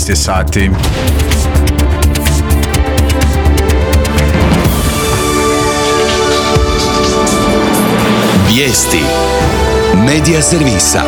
12 je sati. Vijesti Medija servisa.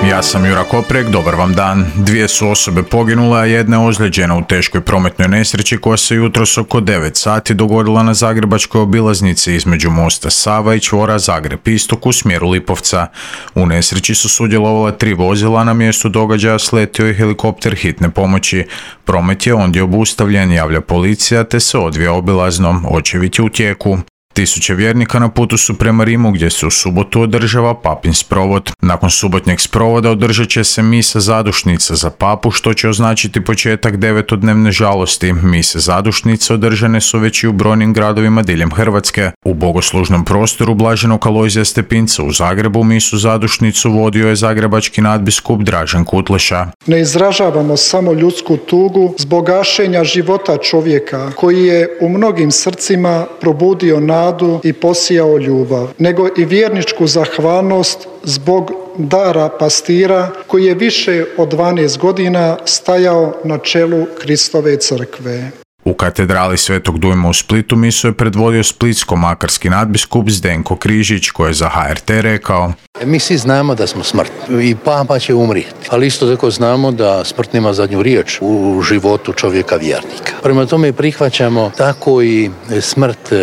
Ja sam Jura Koprek, dobar vam dan. 2 su osobe poginule, a jedna je ozlijeđena u teškoj prometnoj nesreći koja se jutros oko 9 sati dogodila na zagrebačkoj obilaznici između mosta Sava i čvora Zagreb-Istok u smjeru Lipovca. U nesreći su sudjelovala 3 vozila, a na mjestu događaja sletio je helikopter hitne pomoći. Promet je ondje obustavljen, javlja policija, te se odvija obilazno. Očevid je u tijeku. Tisuće vjernika na putu su prema Rimu, gdje se u subotu održava papin sprovod. Nakon subotnjeg sprovoda održat će se misa zadušnica za papu, što će označiti početak 9-dnevne žalosti. Mise zadušnice održane su već i u brojnim gradovima diljem Hrvatske. U bogoslužnom prostoru Blaženog Alojzija Stepinca u Zagrebu misu zadušnicu vodio je zagrebački nadbiskup Dražen Kutleša. Ne izražavamo samo ljudsku tugu zbog gašenja života čovjeka koji je u mnogim srcima probudio nadu i posijao ljubav, nego i vjerničku zahvalnost zbog dara pastira koji je više od 12 godina stajao na čelu Kristove crkve. U katedrali Svetog Dujma u Splitu misu je predvodio splitsko-makarski nadbiskup Zdenko Križić, koji je za HRT rekao: Mi svi znamo da smo smrtni i papa će umrijeti, ali isto tako znamo da smrt nema zadnju riječ u životu čovjeka vjernika. Prema tome prihvaćamo tako i smrt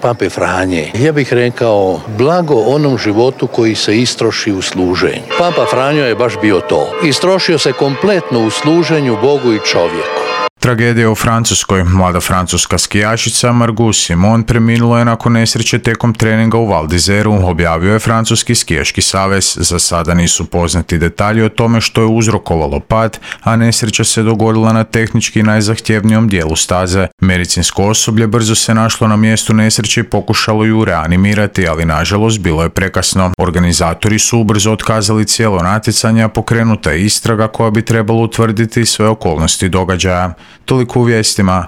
Pape Franje. Ja bih rekao, blago onom životu koji se istroši u služenju. Papa Franjo je baš bio to. Istrošio se kompletno u služenju Bogu i čovjeku. Tragedija u Francuskoj. Mlada francuska skijašica Margot Simon preminula je nakon nesreće tijekom treninga u Val d'Izeru, objavio je Francuski skijaški savez. Za sada nisu poznati detalji o tome što je uzrokovalo pad, a nesreća se dogodila na tehnički najzahtjevnijom dijelu staze. Medicinsko osoblje brzo se našlo na mjestu nesreće i pokušalo ju reanimirati, ali nažalost bilo je prekasno. Organizatori su ubrzo otkazali cijelo natjecanje, a pokrenuta je istraga koja bi trebala utvrditi sve okolnosti događaja. Toliko u vijestima.